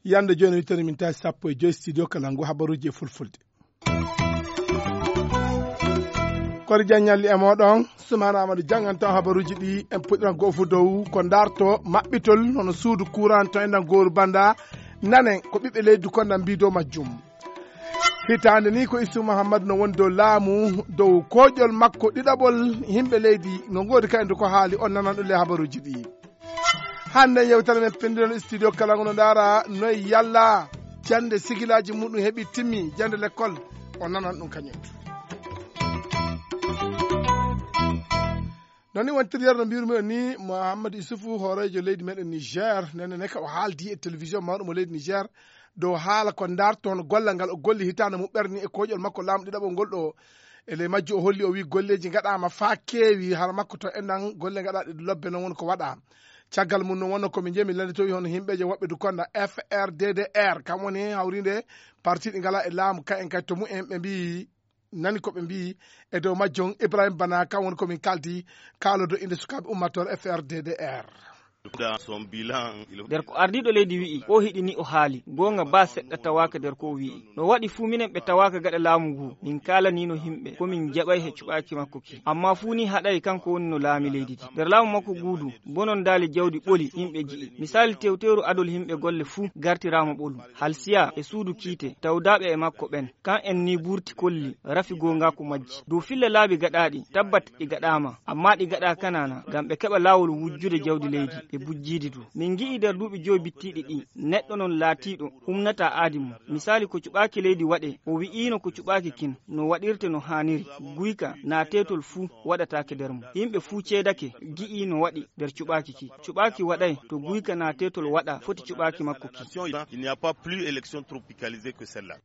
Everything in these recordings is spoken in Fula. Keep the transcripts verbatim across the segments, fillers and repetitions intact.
Yande jooni wittere min tawi sappo e joyi studio kala ngu habaruuji e fulfulde. Kori Diagne ñalli e mooɗon. Sumana Amadou jannganto habaruuji ɗi. En puɗɗiran goo fof dow ko ndarto maɓɓitol hono suudu courant to enɗan gooru banda. Nanen ko ɓiɓɓe leydi konda mbi dow majjum. Hitaande ni ko Issoufou Mahamadou no woni dow laamu, dow kooƴol makko ɗiɗaɓol. Yimɓe leydi no ngoodi kadi ko haali, on nanan ɗum le habaruuji ɗi. Hannde yewtere men penndiren studio kala ngono ndaara noy yalla jannde sigilaaji muɗum heɓi timmi, jannde lekkol, o nanan ɗum kañum. Noon ni wontiryeer no mbiyrumiɗen ni, Mouhamadou Issoufou, hooreejo leydi meɗen Niger, nene ne ka o haaldi e télévision mawɗo mo leydi Niger dow haala ko ndarto hono gollal ngal o golli hitaande muɓɓere ni e kooƴol makko laamu ɗiɗaɓol ngol ɗo. E ley majju o holli, o wi golleeji ngaɗaama faa keewi, hara makko to enɗan golle ngaɗaaɗe lobbe noon woni ko waɗa. Caggal mum noon wonno ko min njeemi lannde towi hono yimɓeeje woɓɓe du konda F R D D R, kam woni hawriinde parti ɗi ngalaa e laamu, ka en kay to mumen ɓe mbiyi, nani ko ɓe mbiyi e dow majjum. Ibrahim Bana, kam woni ko min kaaldi, kaalodo innde sukaaɓe ummattoore F R D D R. Nder ko ardiiɗo leydi wi'i, ko hiɗi ni o haali, goonga baa seɗɗa tawaaka nder ko o wi'i. No waɗi fuu minen ɓe tawaaka gaɗa laamu ngu, min kaalaniino yimɓe, ko min jaɓay he cuɓaaki makko ki. Ammaa fuu ni haɗay kanko woni no laami leydi ndi. Nder laamu makko ngu du, bonondaali jawdi ɓoli yimɓe ji'i. Misaali tewteeru adol yimɓe golle fuu gartiraama ɓolu. Halsiya e suudu kiite, tawdaaɓe e makko ɓen. Kan en ni burti kolli, rafi goongaaku majji. Dow filla laabi gaɗaaɗi, tabbat ɗi gaɗaama, ammaa ɗi gaɗaa kanaana, ngam ɓe keɓa laawol wujjude jawdi leydi, e bujjiidi du. Min ngi'i nder duuɓi jowi bittiiɗi ɗi, neɗɗo non laatiiɗo, humnata aadi mum. Misaali ko cuɓaaki leydi waɗe, o wi'iino ko cuɓaaki kin, no waɗirte no haaniri. Guyka naa teetol fuu waɗataake nder mum. Yimɓe fuu ceedake, gi'i no waɗi nder cuɓaaki ki. Cuɓaaki waɗay to guyka naa teetol waɗa foti cuɓaaki makko ki. Il n'y a pas plus élection tropicalisée que celle-là.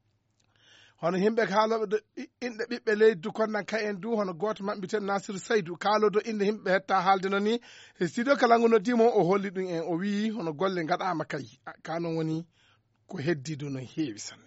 Hono yimɓe kaalooɓe do i-, inɗe ɓiɓɓe leydi du konnan ka en du, hono gooto maɓɓe mbiyeten Nasir Saydu, kaaloodo inɗe yimɓe hetta haalde noon ni. E studio kala ngu noddi mo, o holli ɗum en, o wi'i hono golle ngaɗaama kay. A, ka noon woni ko heddi du no heewi sanne.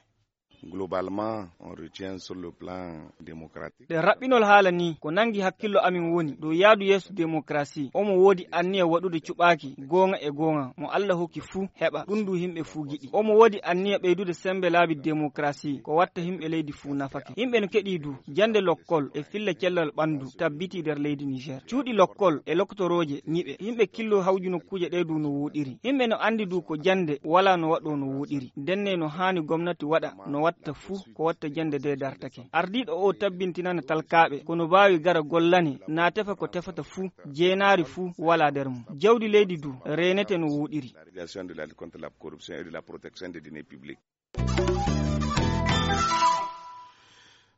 Globalement, on retient sur le plan démocratique. Ɗe raɓɓinol haala ni, ko nangi hakkillo amin woni dow yaadu yeeso demokrasi. Omo woodi anniya waɗude cuɓaaki goonga e goonga mo Alla hokki fuu heɓa, ɗum du yimɓe fuu giɗi. Omo woodi anniya ɓeydude sembe laabi demokrasi, ko watta yimɓe leydi fuu nafake. Yimɓe no keɗi du, jannde lokkol e filla cellal ɓanndu tabbitii nder leydi Niger. Cuuɗi lokkol e loktorooje ñiɓe. Yimɓe killo hawju nokkuuje ɗe du no wooɗiri. Yimɓe no anndi du ko jannde walaa no waɗoo no wooɗiri. Ndenne no haani gomnati waɗa, no watta fuu ko watta jannde nde dartake. Ardiiɗo o tabbintinana talkaaɓe ko no baawi gara gollane, naa tefa ko tefata fuu, jeenaari fuu walaa nder mum. Jawdi leydi du reenete no wooɗiri. La réalisation de la lutte contre la corruption et de la protection des deniers publics.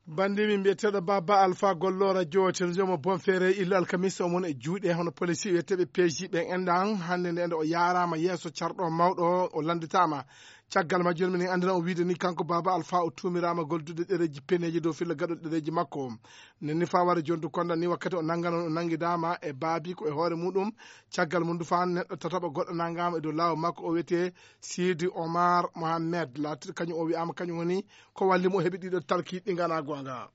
Banndi min mbiyeteeɗo Baba Alpha Gollo radio télévision mo Bonferre, illo alkamisa, o mon e juuɗe hono polisi wiyeteeɓe P J ɓen enɗan. Hannde nde, nde o yaaraama yeeso carɗo mawɗo, o lannditaama. Caggal majjum, minen anndina o wiide ni, kanko Baba Alpha o tuumiraama goldude ɗereeji peneeji dow filla gaɗol ɗereeji makko. Nen ni faa wara jontu konda ni, wakkati o nanngano, o nanngidaama e baabi ko e hoore muɗum. Caggal mum du faa neɗɗo tataɓo goɗɗo nanngaama e dow laawol makko, o wiyetee Sidi Omar Mohamed. Laatiiɗo kañum o wi'aama kañum woni ko walli mo o heɓi ɗiɗo talki ɗi nganaa goonga.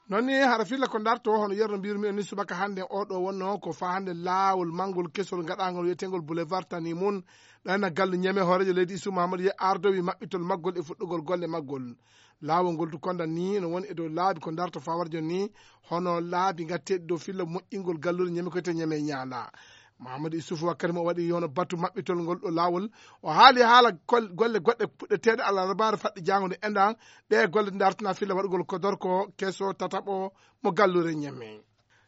Noon ni hara filla ko ndarto, hono yerno mbirmi en ni, subaka hannde o ɗo wonno ko faa hannde laawol manngol kesol ngaɗaangol wiyeteengol Boulevard Tani Mun. Ɗo henna gallu Ñeme, hooreejo leydi Isu Mahamadou Ye ardowi maɓɓitol maggol e fuɗɗugol golle maggol. Laawol ngol du konda ni no woni e dow laabi ko ndarto faa wara jooni ni, hono laabi ngatteeɗi dow filla moƴƴingol galluure Ñeme ko wiyetee Ñeme Ñaala. Mahamadou Issoufou wakkati mo o waɗi hono batu maɓɓitol ngol ɗo laawol, o haali haala gol-, golle goɗɗe puɗɗeteeɗe alarbaare faɗɗi jaango nde enɗan, ɗe golle dartana filla waɗugol ko dorko keso tataɓo mo galluure Ñemme.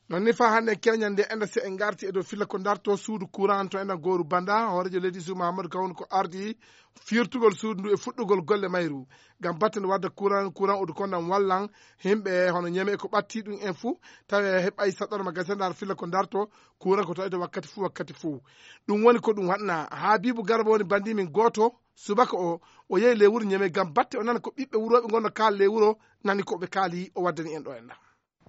Noon ni faa hannde keñal nde enɗa, si en ngarti e dow filla ko darto suudu courant to enɗan gooru Banda, hooreejo leydi Isu Mahamadou Kawon ko ardi firtugol suudu ndu e fuɗɗugol golle mayru. Ngam batte nde wadda courant, courant o du kondan wallan yimɓe hono Ñeme ko ɓatti ɗum en fuu, tawi heɓay saɗɗorma gasendar filla ko darto, courant ko tawi to wakkati fuu, wakkati fuu. Ɗum woni ko ɗum waɗna. Habibu Garba woni banndi min gooto, subaka o, o yehi ley wuro Ñeme ngam batte o nana ko ɓiɓɓe wurooɓe ngonno kaala ley wuro, nani ko ɓe kaali, o waddani en ɗo enɗan.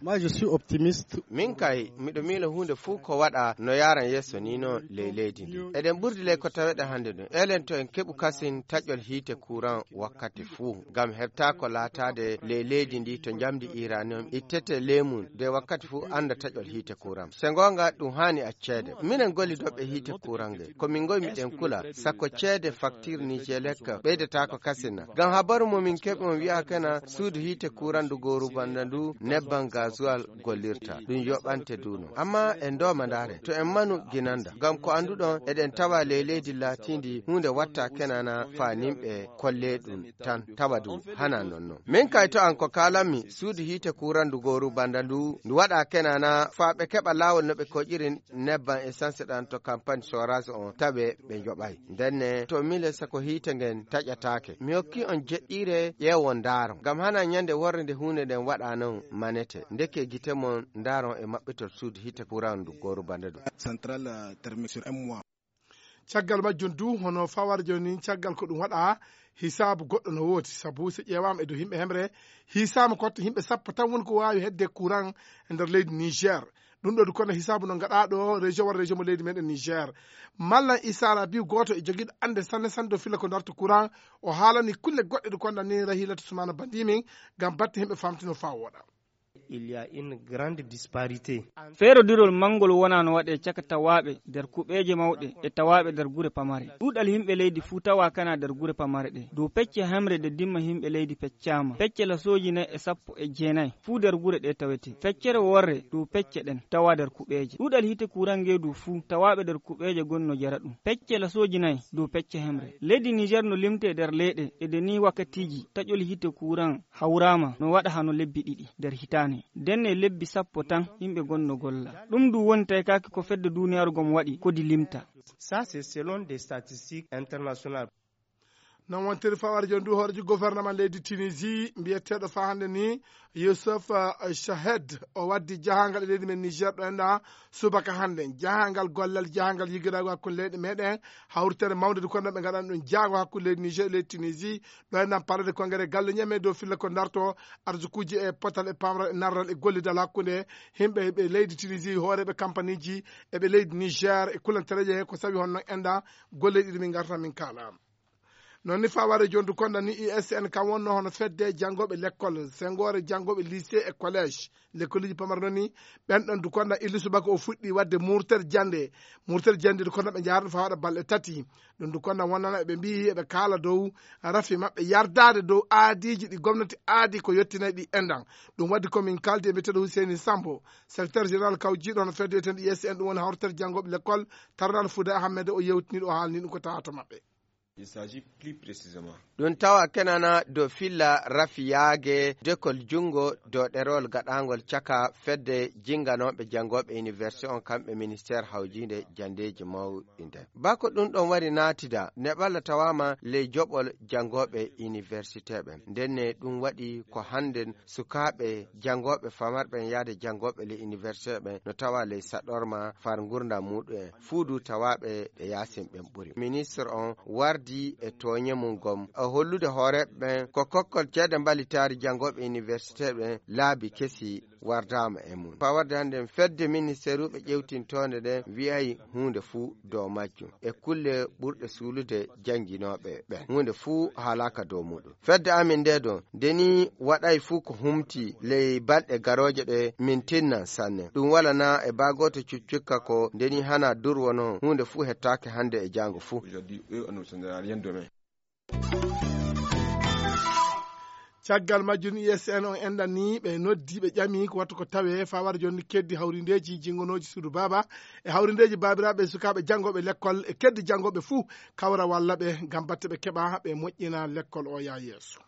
Moi, je suis optimiste. Min kay, miɗo miila huunde fuu ko waɗa no yaaran yeeso ni noon ley leydi ndi. Eɗen ɓurdi ley ko taweɗen hannde ɗum. Elen to en keɓu kasin taƴol hiite kuran wakkati fuu. Ngam heɓtaako laataade ley leydi ndi to njamndi uranium ittete ley mum de wakkati fuu annda taƴol hiite kuran. Se ngoonga ɗum haani acceede. Minen gollidooɓe hiite kuran nge. Ko min ngoy miɗen kula. Sako ceede faktir Nijelek ɓeydataako kasin na. Ngam habaru mo min keɓi on wi'aa kana suudu hiite kuran ndu gooru banda ndu nebban gazuwal gollirta. Ɗum yoɓante duuno. Amma en ndooma ndaare. To en manu ginanda. Ngam ko annduɗon eɗen tawa ley leydi laatiindi huunde watta kenana faa nimɓe kolle ɗum tan. Tawa du hana non non. Min kay to an ko kaalanmi suudu hiite kuran ndu gooru banda ndu. Ndu waɗa kenana faa ɓe keɓa laawol no ɓe koƴiri nebban essence ɗan to campagne forage on tawe ɓe njoɓay. Ndenne to mile sako hiite ngen taƴataake. Mi hokki on jeɗɗiire ƴeewon ndaaron. Ngam hana ñande worre nde huunde nden waɗa non manete. Ndeke gite mon ndaaron e maɓɓitol suudu hiite kuran ndu gooru banda ɗum. Central, euh, thermique sur un mois. Caggal majjum du, hono fawara jooni, caggal ko ɗum waɗa, hisaabu goɗɗo no woodi. Sabu so ƴeewaama e dow yimɓe hemre, hisaama ko watta yimɓe sappo tan woni ko waawi hedde courant e nder leydi Niger. Ɗum ɗo du kono hisaabu no ngaɗaa ɗo région walla région mo leydi meɗen Niger. Mallan Issa Rabiu, gooto e jogiiɗo annde sanne sanne dow filla ko darto courant, o haalani kulle goɗɗe ɗe konda ni Rahilatu Sumana Bandimin ngam batte yimɓe famtino faa wooɗa. Il y a une grande disparité. Feerodirol manngol wonaa no waɗee caka tawaaɓe nder kuɓeeje mawɗe e tawaaɓe nder gure pamare. Ɗuuɗal yimɓe leydi fuu tawaa kana nder gure pamare ɗe. Dow pecce hemre de dimma yimɓe leydi peccaama. Pecce lasooji nayi e sappo e jeenayi fuu nder gure ɗe tawete. Feccere worre dow pecce ɗen tawaa nder kuɓeeje. Ɗuuɗal hiite kuuran ngeedu fuu tawaaɓe nder kuɓeeje gonno jara ɗum. Pecce lasooji nayi dow pecce hemre. Leydi Niger no limtee nder leyɗe e de ni wakkatiiji taƴol hiite kuuran hawraama no waɗa hano lebbi ɗiɗi nder hitaande. Ndenne lebbi sappo tan yimɓe gonno golla. Ɗum du woni taykaaki ko fedde duuniyaaru gom waɗi kodi limta. Ça, c'est selon des statistiques internationales. Non wontiri fawar jon du hoorejo gouvernement leydi Tunisie mbiyeteeɗo faa hannde ni Youssef, eh, Chahed, o waddi jahangal e leydi men Niger ɗo enɗa subaka hannde. Jahangal gollal, jahangal yigiraagu hakkunde leyɗe meɗen, hawritere mawnde du kono ɓe ngaɗan ɗum jaago hakkunde leydi Niger e leydi Tunisie. Ɗo enɗan palade konngere galle ñame dow filla ko darto arsukuuji e potal e pamral e narral e gollidal hakkunde yimɓe ɓe leydi Tunisie, hooreeɓe kampaniiji e ɓe leydi Niger e kulantereeje he ko sawi honno enɗa golle ɗiɗi min ngarta min kaala. Noon ni faware jondu konda ni U S N kam wonno hono fedde janngooɓe lekkol, sengoore janngooɓe lycée e collège, lekkoliji pamar noon ni, ɓen ɗon du konda illi subaka o fuɗɗi wadde murtere jannde, murtere jannde du konda ɓe njaarno faa waɗa balɗe tati. Ɗum du konda wonnana ɓe mbiyi eɓe kaala dow rafi maɓɓe yardaade dow aadiiji ɗi gomnati aadi ko yottinay ɗi enɗan. Ɗum waddi ko min kaldi e mbiyeteeɗo Huseyni Sambo, secrétaire général kawjiiɗo hono fedde wiyeteende U S N, ɗum woni hawritere janngooɓe lekkol, taranaɗo Fuuda Ahmed, o yewtiniiɗo, o haalni ɗum ko tawata maɓɓe. Il s'agit plus précisément. Ɗum tawa kenana dow filla rafiyaage dekol junngo dow ɗerewol gaɗaangol caka fedde jinnganooɓe janngooɓe université on kamɓe ministère hawjiinde janndeeji mawɗi nden. Bako ɗum ɗon wari naatida, neɓalla tawaama ley joɓol janngooɓe université ɓen. Ndenne ɗum waɗi ko hannden sukaaɓe janngooɓe famarɓe en yahde janngooɓe ley université ɓen no tawa ley saɗorma far ngurndan muɗum en. Fuu du tawaaɓe ɓe yaasin ɓen ɓuri. Ministre on wardi e tooñe mum gom, e hollude hooreeɓe ɓen ko kokkol ceede mbalitaari janngooɓe université ɓen laabi kesi wardaama e mum. Faa warde hannde fedde ministeeruɓe ƴewtintoonde ɗen wi'ay huunde fuu dow majjum. E kulle ɓurɗe suulude jannginooɓe ɓen. Huunde fuu haalaaka dow muɗum. Fedde amin nde ɗon, nde ni waɗay fuu ko humti ley balɗe garooje ɗe min tinnan sanne. Ɗum walanaa e baa gooto cuccukka ko nde ni hana durwo non huunde fuu hettaake hannde e jaango fuu. Aujourd'hui, eux, on ne sera rien demain. Caggal majjum, U S N on enɗan ni ɓe noddi, ɓe ƴami ko wattu ko tawe fawara jonni keddi hawrindeeji jingonooji suudu baaba e hawrindeeji baabiraaɓe e sukaaɓe janngooɓe lekkol e keddi janngooɓe fuu kawra walla ɓe ngam batte ɓe keɓa ɓe moƴƴina lekkol o yaa yeeso.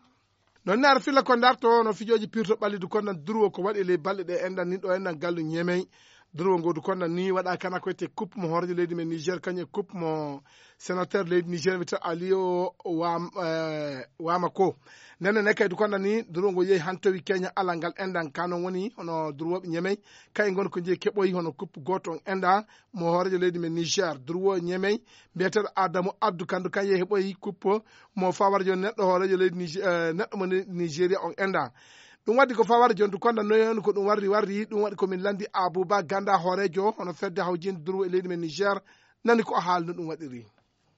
Non ne ara filla ko darto no fijooji pirto ɓalli du konnan durwo ko waɗi ley balɗe ɗe enɗan ni ɗo enɗan gallu ñemey. Durwo ngo du konnan ni waɗa kana ko wiyete coupe mo hoorejo leydi men Niger kañum e coupe mo sénateur leydi Niger wiyete Aliyo Wam-, eh, Wamako. Nden ne kay du konnan ni durwo ngo yehi hantowi Kenya alal ngal enɗan ka non woni hono durwooɓe ñemey kay ngon ko jeyi keɓoyi hono coupe gooto on enɗan mo hoorejo leydi men Niger. Durwo ñemey mbiyeteeɗo Adamu Abdu Kandu kan yehi heɓoyi coupe mo fawara joni neɗɗo hoorejo leydi Nige-, eh, neɗɗo mo ne-, Nigeria on enɗan. Ɗum waɗi ko fawar jontu konda noyon ko ɗum warri warri, ɗum waɗi ko min landi Abuba Ganda hooreejo hono fedde hawjinde durwo e leydi men Niger, nani ko o haalno ɗum waɗiri.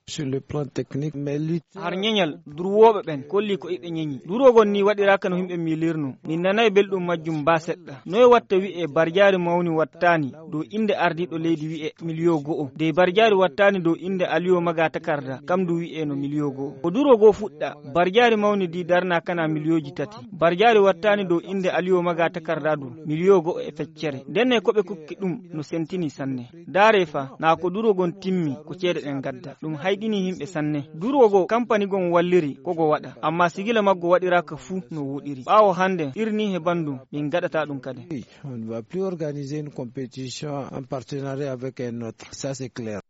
Sur le plan technique, mais lutte. Har ñeñal durwooɓe ɓen kolli ko iɓe ñeñi. Durwogol ni waɗiraaka no yimɓe miilirno. Min nanay belɗum majjum ba seɗɗa. Noy watta wi'e barjaari mawni wattaani dow innde ardiiɗo leydi wi'e miliyo go'o. Dey barjaari wattaani dow innde Aliyo Maga Takarda, kam du wi'e no miliyo go'o. Ko durwogoo fuɗɗa, barjaari mawni di darna kana miliyooji tati. Barjaari wattaani dow innde Aliyo Maga Takarda du, miliyo go'o e feccere. Ndenne ko ɓe kokki ɗum no sentini sanne. Daare fa, na ko duro gon timmi, ko ceede ɗen gadda. Ɗum hayɗini yimɓe sanne. Duro go kampani gon walliri, ko go waɗa. Amma sigila maggo waɗiraaka fuu no woɗiri. Ɓaawo hande, irni he bandum, min gaɗata ɗum kadi. Oui, on ne va plus organiser une compétition en partenariat avec un autre. Ça, c'est clair.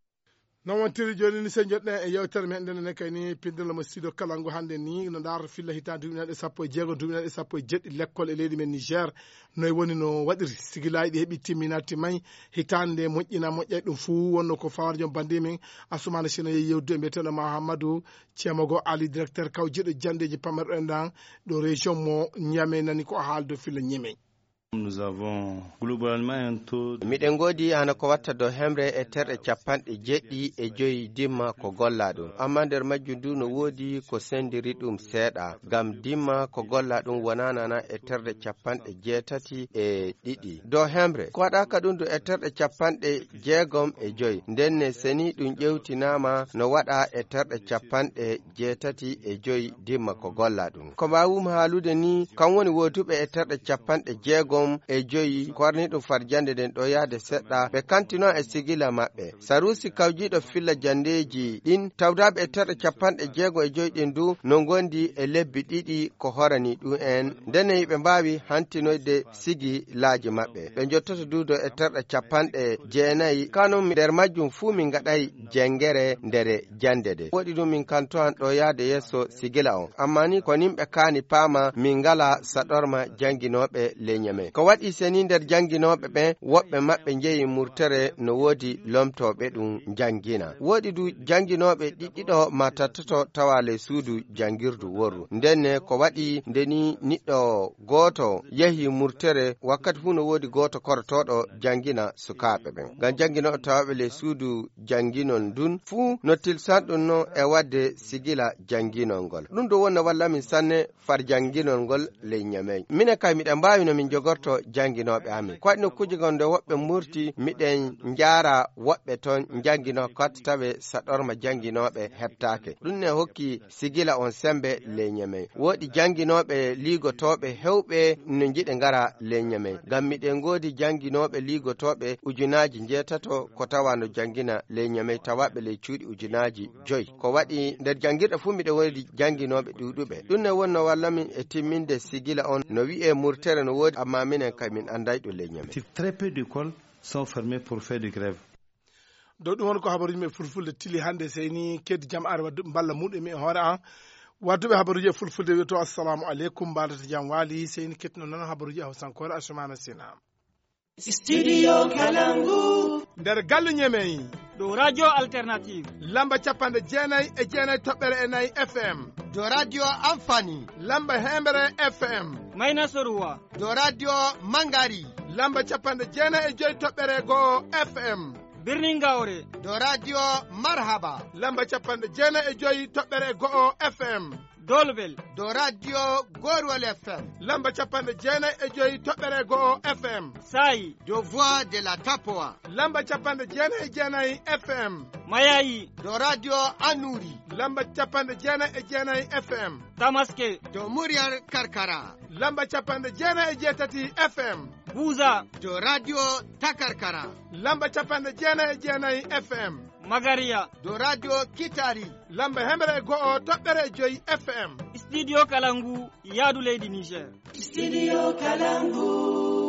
Non wontiri jooni ni, so njoɗɗen e yewtere men, nden ne kay ni pindol mo studio Kalangu hannde ni, no ndaarata filla hitaande duuɓi nayi e sappo e jeego, duuɓi nayi e sappo e jeɗɗi, lekkol e leydi men Niger. Noy woni no waɗiri? Sigilaaji ɗi heɓi timminaade timmay, hitaande moƴƴina moƴƴay, ɗum fuu wonno ko fawarjo bandi men Asumana Sina yehi yewtude e mbiyeteeɗo Mahamadou Cemogo Ali, directeur kawjiiɗo janndeeji pammerɗo en ɗan ɗo région mo Niamey, nani ko o haaldo filla Niamey. Nous avons globalement un taux de Miɗen ngoodi hana ko watta dow hemre e terɗe capanɗe jeɗɗi e joyi dimma ko golla ɗum. Amma nder majjum du no woodi ko sendiri ɗum seeɗa. Ngam dimma ko golla ɗum wonanana e terɗe capanɗe jeetati e ɗiɗi. Dow hemre, ko waɗaaka ɗum du e terɗe capanɗe jeegom e joyi. Nden ne seni ɗum ƴewtinaama no waɗa e terɗe capanɗe jeetati e joyi dimma ko golla ɗum. Ko mbaawumi haalude ni, kam woni wooduɓe e terɗe capanɗe jeegom e joyi korniiɗum farjannde nden ɗo yahde seɗɗa, ɓe kantino e sigila maɓɓe. Saruusi kawjiiɗo filla janndeeji ɗin, tawdaaɓe e terɗe capanɗe jeego e joyi ɗin du, no ngondi e lebbi ɗiɗi ko horani ɗum en. Ndenne hiɓe mbaawi hantinoyde sigilaaji maɓɓe. Ɓe njottoto duudo e terɗe capanɗe jeenayi. Kanum nder majjum fuu min ngaɗay jengere ndere jannde de. Woɗi ɗum min kanto an ɗo yahde yeeso sigila on. Amma ni ko nimɓe kaani paama min ngala saɗorma jannginooɓe leñe men. Ko waɗi seni nder jannginooɓe ɓen, woɓɓe maɓɓe njehi murtere no woodi lomtooɓe ɗum njanngina. Woɗi du jannginooɓe ɗiɗɗiɗo ma tattoto tawa ley suudu janngirdu worru. Ndenne ko waɗi nde ni niɗɗo gooto yehi murtere, wakkati fuu no woodi gooto korotooɗo janngina sukaaɓe ɓen. Ngam jannginooɓe tawaaɓe ley suudu jannginol ndun fuu no tilsan ɗum non e waɗde sigila jannginol ngol. Ɗum ɗo wonna walla min sanne far jannginol ngol ley Ñamey. Minen kay miɗen mbaawi no min jogorto jannginooɓe amin. Ko waɗi nokkuuje gon nde woɓɓe murti, miɗen njaara woɓɓe toon njannginoo koɗta tawe saɗorma jannginooɓe heɓtaake. Ɗum ne hokki sigila on sembe ley Ñamey. Woodi jannginooɓe liigotooɓe heewɓe no njiɗi ngara ley Ñamey. Ngam miɗen ngoodi jannginooɓe liigotooɓe ujunaaji njeetato ko tawa no janngina ley Ñamey tawaaɓe ley cuuɗi ujunaaji joyi. Ko waɗi nder janngirɗe fuu miɗen woodi jannginooɓe ɗuuɗuɓe. Ɗum ne wonnoo walla min e timminde sigila on no wi'ee murtere no woodi, ammaa minen kay min annday ɗum ley Ñamey. Très peu d'écoles sont fermées pour faire de grève. Dow ɗum woni ko habaruuji men fulfulde tili hannde. Seyni keddi jam ari wadduɓe mballa muɗum e hoore an. Wadduɓe habaruuji e fulfulde wi'oto assalamu aleykum, mbaadata jam waali. Seyni kettino noon habaruuji e hawsankoore Asumana Sina. Studio Kalangu. Nder galle Ñemey. Dow Radio Alternative. Lamba capanɗe jeenayi e jeenayi toɓɓere e nayi F M. Dow Radio Amfani. Lamba heembere F M. Mayna Soruwa. Dow Radio Mangari. Lamba capanɗe jeenayi e joyi toɓɓere go'o F M. Birnin Gaure. Dow Radio Marhaba. Lamba capanɗe jeenayi e joyi toɓɓere go'o F M. Dolbel. Dow Radio Gorwal F M. Lamba capanɗe jeenayi e joyi toɓɓere go'o F M. Sayi. Dow Voix de la Tapoa. Lamba capanɗe jeenayi e jeenayi F M. Mayayi. Dow Radio Anuri. Lamba capanɗe jeenayi e jeenayi F M. Tamaske. Dow Muryar Karkara. Lamba capanɗe jeenayi e jeetati F M. Buza. Dow Radio Takarkara. Lamba capanɗe jeenayi e jeenayi F M. Magariya. Dow Radio Kitari. Lamba hemre e go'o toɓɓere e joyi F M. Studio Kalangu, yaadu leydi Niger. Studio Kalangu.